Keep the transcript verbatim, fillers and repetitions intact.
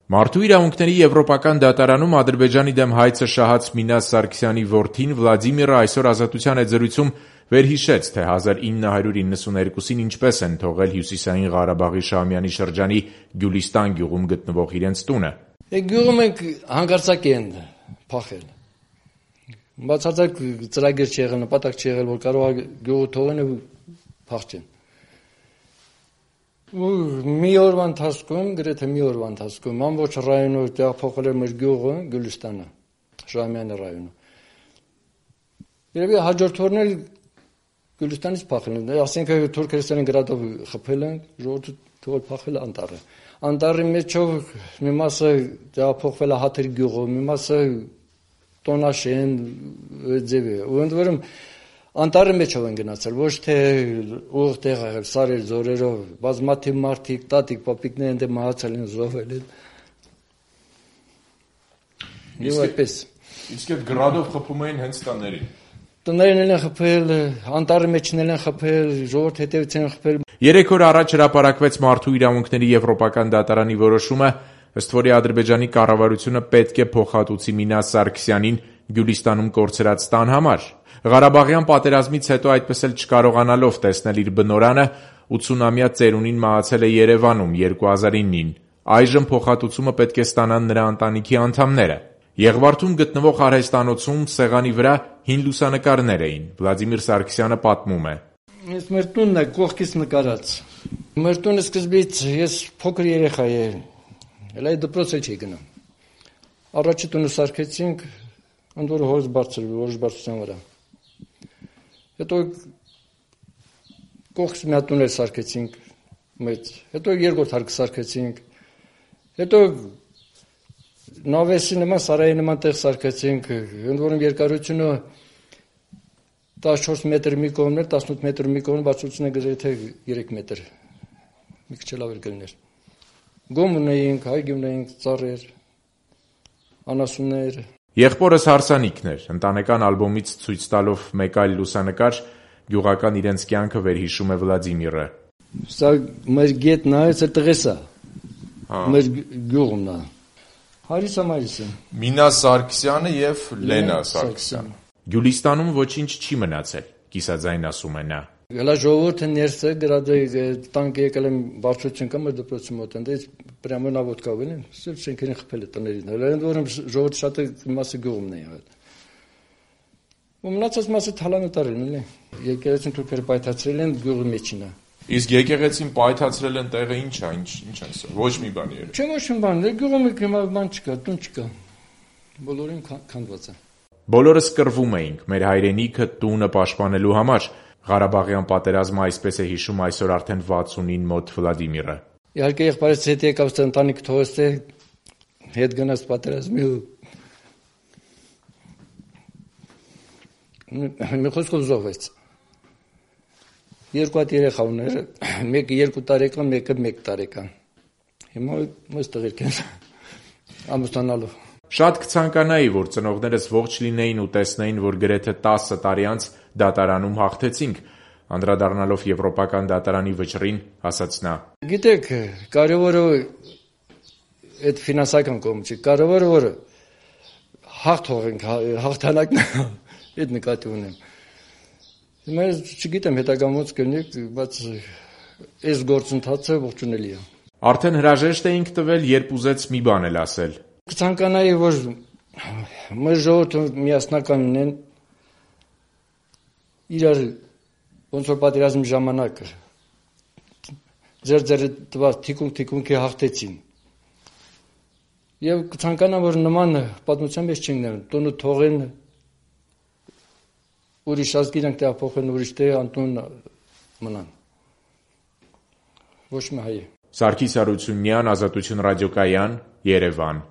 Մարդու իրավունքների եվրոպական դատարանում Ադրբեջանի դեմ հայցը շահած Մինաս Սարգսյանի որդին Վլադիմիրը այսօր Ազատության այցելույցում վերհիշեց, թե հազար ինը հարյուր իննսուներկուսին ինչպես են թողել Հյուսիսային Ղարաբաղի Շահումյանի շրջանի Գյուլիստան գյուղում գտնվող իրենց տունը։ Գյուղում ենք հանկարծակի են փախել։ Բացարձակ ծրագիր չի եղել, նպատակ չի եղել, որ կարող է գյուղը թողեն ու փախչեն։ Մի օրվա ընթացքում, գրեթե մի օրվա ընթացքում ամբողջ ռայոնը տեղափոխել էր մեր գյուղը Գյուլիստանը, Շահումյանի ռայոնը։ Երևի հաջորդ օրն էլ Գյուլիստանից փախել են, ասենք Թուրքերստանի գրադով խփել են, ժողովուրդը թողել փախել անտառը։ Անտառի մեջով մի մասը տեղափոխվել է Հաթերի գյուղը, մի մասը Տոնաշեն ձևի։ Ու ընդ որում անտառի մեջով են գնացել, ոչ թե ուղիղ տեղ եղել, սարեր, ձորերով, բազմաթիվ մարդիկ, տատիկ, պապիկներ ընդ մահացել են, զոհվել են։ Եվ այդպես։ Իսկ այդ գրադով խփում էին հենց տաներին։ Տներն են խփել, անտառի մեջն են խփել, ժողովուրդ հետևից են խփել։ Երեք օր առաջ հրապարակվեց Մարդու իրավունքների եվրոպական դատարանի որոշումը, ըստ որի Ադրբեջանի կառավարությունը պետք է փոխհատուցի Մինաս Սարգսյանին Գյուլիստանում կորցրած տան համար։ Ղարաբաղյան պատերազմից հետո այդպես էլ չկարողանալով տեսնել իր բնորանը, ութսունամյա ծերունին մահացել է Երևանում երկու հազար ինին։ Այժմ փոխհատուցումը պետք է ստանան նրա ընտանիքի անդամները։ Եղվարդում գտնվող արհեստանոցում սեղանի վրա հին լուսանկարներ էին։ Վլադիմիր Սարգսյանը պատմում է. Ես մեր տունն է կողքից նկարած։ Մեր տունը սկզբից ես փոքր երեխա եմ, էլ այդ դպրոց էլ չի գնում։ Առաջի տունը սարքեցինք, ընդ որ հորս բարձր, որոշ բարձրության վրա։ Հետո կողքից մի հատ տուն էլ սարքեցինք մեծ, հետո երկրորդ հարկը սարքեցինք, հետո նավեսի նման, սարայի նման տեղ սարքեցինք, ընդ որում երկարությունը տասնչորս մետր մի կողմն էր, տասնութ մետր մի կողմն, բարձրությունը գրեթե երեք մետր, մի քիչ լավ էր կլիներ։ Գոմ ունեինք, հայգի ունեինք, ծառեր, անասուններ։ Եղբորս հարսանիքն էր, ընտանեկան ալբոմից ցույց տալով մեկ այլ լուսանկար, գյուղական իրենց կյանքը վերհիշում է Վլադիմիրը։ Սա մեր գետն է, այս տղես է։ Մեր գյուղն է։ Հարիսը մայիսը։ Մինաս Սարգսյանը եւ Լենա Սարգսյանը։ Գյուլիստանում ոչինչ չի մնացել, կիսաձայն ասում է նա։ Հələ ժողովուրդը ներս է գրադի տանկը եկել են բարձրություն կա մեր դպրոցի մոտ, այնտեղից պրյամո նա ոդկա վելին, սուրբ շենքերին խփել է տներին։ Հələ ընդ որում ժողովուրդը շատ մասը գյուղումն է եղել։ Ու մնացած մասը թալանը տարել են, էլի։ Եկեղեցին թուրքերը պայթացրել են գյուղի մեջին է։ Իսկ եկեղեցին պայթացրել են տեղը ինչ է, ինչ ինչ է սա։ Ոչ մի բան երբ։ Չէ, ոչ մի բան, գյուղում հիմա բան չկա, տուն չկա։ Բոլորին քանդված է։ Բոլորս կռվում էինք մեր հայրենիքը տունը պաշտպանելու համար։ Ղարաբաղյան պատերազմը այսպես է հիշում այսօր արդեն վաթսունին մոտ Վլադիմիրը։ Իհարկե եղբայրս հետ եկավ ընտանիք թողեց թե հետ գնաց պատերազմի ու մի խոսքով զոհվեց։ Երկու հատ երեխա ուներ, մեկը երկու տարեկան, մեկը մեկ տարեկան։ Հիմա մեծ տղերք են ամուսնանալու։ Շատ կցանկանայի, որ ծնողներս ողջ լինեին ու տեսնեին, որ գրեթե տասը տարի անց դատարանում հաղթեցինք, անդրադառնալով եվրոպական դատարանի վճռին, ասաց նա. Գիտեք, կարևորը այդ ֆինանսական կողմը չի, կարևորը որ հաղթ հողենք, հաղթանակն այդ նկատի ունեմ։ Հիմա չգիտեմ հետագան ոնց կլինի, բայց այս գործընթացը ողջունելի է։ Արդեն հրաժեշտ էինք տվել, երբ ուզեց մի բան էլ ասել։ Կցանկանայի, որ մեր ժողովուրդը միասնական լինեն, իրար ոնց որ պատերազմի ժամանակ ձեր ձեր տված թիկունք-թիկունքի հաղթեցին։ Եվ կցանկանամ, որ նման պատմության մեջ չընկնեն, տունը թողեն, ուրիշ ազգ իրանք տեղափոխեն, ուրիշ տեղ անտուն մնան։ Ոչ մի հայ։ Սարգիս Հարությունյան, Ազատություն ռադիոկայան, Երևան։